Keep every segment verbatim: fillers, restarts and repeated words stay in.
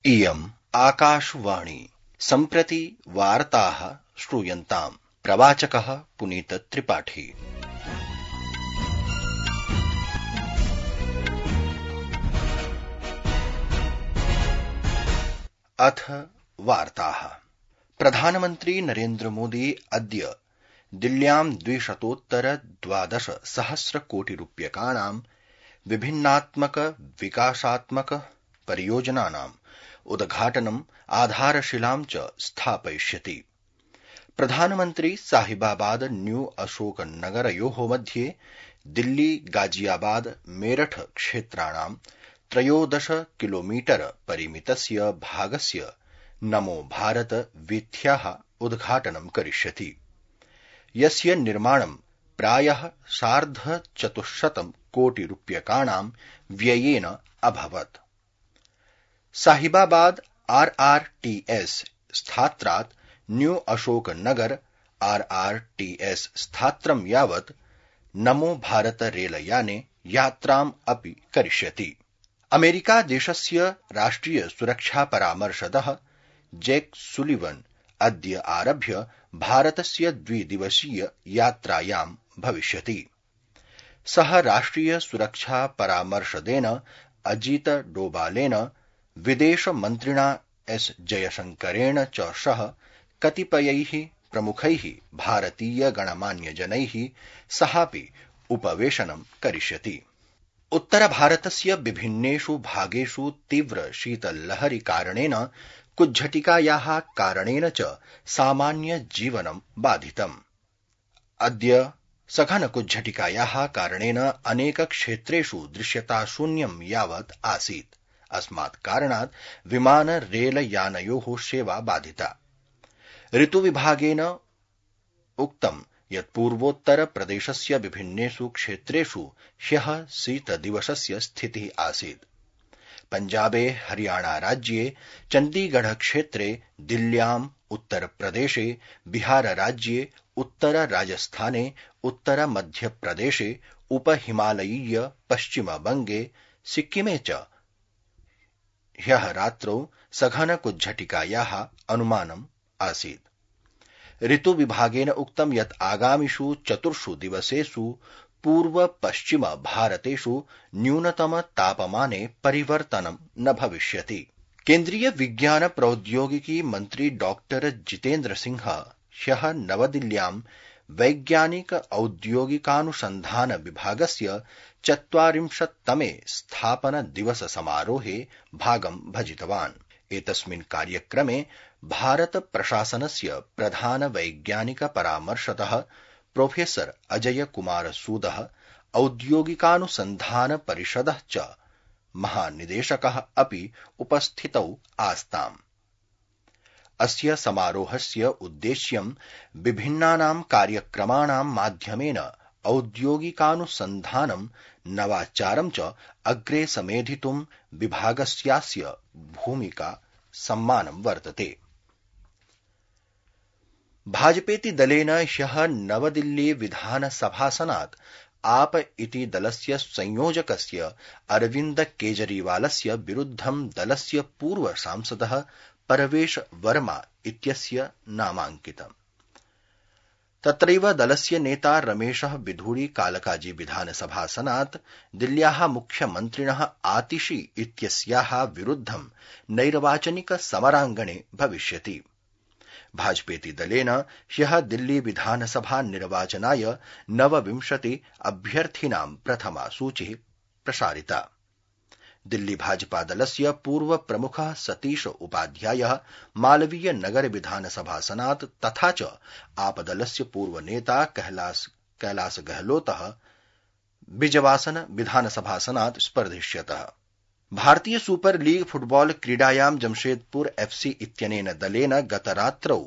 इयम् आकाशवाणी सम्प्रति वार्ताः श्रूयन्ताम्। प्रवाचकः पुनीत त्रिपाठी। अथ वार्ताः। प्रधानमन्त्री नरेन्द्र मोदी अद्य दिल्ल्यां द्विशतोत्तर द्वादश सहस्र कोटि रूप्यकाणां विभिन्नात्मक विकासात्मक परियोजनानां उद्घाटनम् आधारशिलां च स्थापयिष्यति। प्रधानमन्त्री साहिबाबाद न्यू अशोकनगरयोः मध्ये दिल्ली गाजियाबाद मेरठ क्षेत्राणां त्रयोदश किलोमीटर परिमितस्य भागस्य नमो भारत वीथ्याः उद्घाटनं करिष्यति, यस्य निर्माणं प्रायः सार्धचतुश्शतं कोटि रूप्यकाणां व्ययेन अभवत्। Sahibabad R R T S स्थात्रात् new Ashoknagar R R T S स्थात्रं यावत् नमो भारत रेलयाने यात्राम् अपि करिष्यति। अमेरिका देशस्य राष्ट्रिय सुरक्षा परामर्शदः जैक सुलिवन अद्य आरभ्य भारतस्य द्विदिवसीय यात्रायां भविष्यति। सः राष्ट्रिय सुरक्षा परामर्शदेन अजीत डोभालेन, विदेश मन्त्रिणा एस जयशंकरेण च सह कतिपयैः प्रमुखैः भारतीय गणमान्यजनैः सहापि उपवेशनं करिष्यति। उत्तर भारतस्य विभिन्नेषु भागेषु तीव्र शीतलहरी कारणेन कुज्झटिकायाः कारणेन च सामान्य जीवनं बाधितम्। अद्य सघन कुज्झटिकायाः कारणेन अनेक क्षेत्रेषु दृश्यता शून्यं यावत् आसीत्। अस्मात् कारणात् विमान रेल यानयोः सेवा बाधिता। ऋतुविभागेन उक्तं यत् पूर्वोत्तर प्रदेशस्य विभिन्नेषु क्षेत्रेषु ह्यः शीतदिवसस्य स्थितिः आसीत्। पञ्जाबे, हरियाणा राज्ये, चण्डीगढ़ क्षेत्रे, दिल्ल्याम्, उत्तर प्रदेशे, बिहार राज्ये, उत्तर राजस्थाने, उत्तर मध्यप्रदेशे, उपहिमालयीय पश्चिमबंगे, सिक्किमे च ह्यः रात्रौ सघन कुज्झटिकायाः अनुमानम् आसीत्। ऋतुविभागेन उक्तं यत् आगामिषु चतुर्षु दिवसेषु पूर्व पश्चिम भारतेषु न्यूनतम तापमाने परिवर्तनं न भविष्यति। केन्द्रीय विज्ञान प्रौद्योगिकी मन्त्री डॉक्टर जितेन्द्र सिंह ह्यः नवदिल्ल्यां वैज्ञानिक औद्योगिकानुसन्धान विभागस्य चत्वारिंशत्तमे स्थापन दिवस समारोहे भागं भजितवान्। एतस्मिन् कार्यक्रमे भारत प्रशासनस्य प्रधान वैज्ञानिक परामर्शदः प्रोफेसर अजय कुमार सूदः, औद्योगिकानुसन्धान परिषदः च महानिदेशकः अपि उपस्थितौ आस्ताम्। अस्य समारोहस्य उद्देश्यं विभिन्नानां कार्यक्रमाणां माध्यमेन औद्योगिकानुसन्धानं नवाचारं च अग्रे समेधितुं विभागस्यास्य भूमिका सम्मानं वर्तते। भाजपेति दलेन ह्यः नवदिल्ली विधानसभासनात् आप इति दलस्य संयोजकस्य अरविन्द केजरीवालस्य विरुद्धं दलस्य पूर्व सांसदः परवेश वर्मा इत्यस्य नामाङ्कितम्। तत्रैव दलस्य नेता रमेशः बिधूड़ी कालकाजी विधानसभासनात् दिल्ल्याः मुख्यमन्त्रिणः आतिशी इत्यस्याः विरुद्धं नैर्वाचनिक समराङ्गणे भविष्यति। भाजपेति दलेन ह्यः दिल्ली विधानसभा निर्वाचनाय नवविंशति अभ्यर्थिनां प्रथमा सूचिः प्रसारिता। दिल्ली भाजपा दलस्य पूर्व प्रमुखः सतीश उपाध्यायः मालवीय नगर विधानसभासनात् तथा च आपदलस्य पूर्व नेता कैलास कैलास गहलोतः बिजवासन विधानसभासनात् स्पर्धिष्यतः। भारतीय सुपर लीग फुटबॉल क्रीडायां जमशेदपुर एफसी इत्यनेन दलेन गतरात्रौ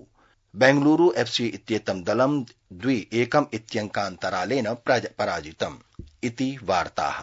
बेंगलुरु एफसी इत्येतं दलं द्वि एकम् इत्यङ्कान्तरालेन पराजितम् इति वार्ताः।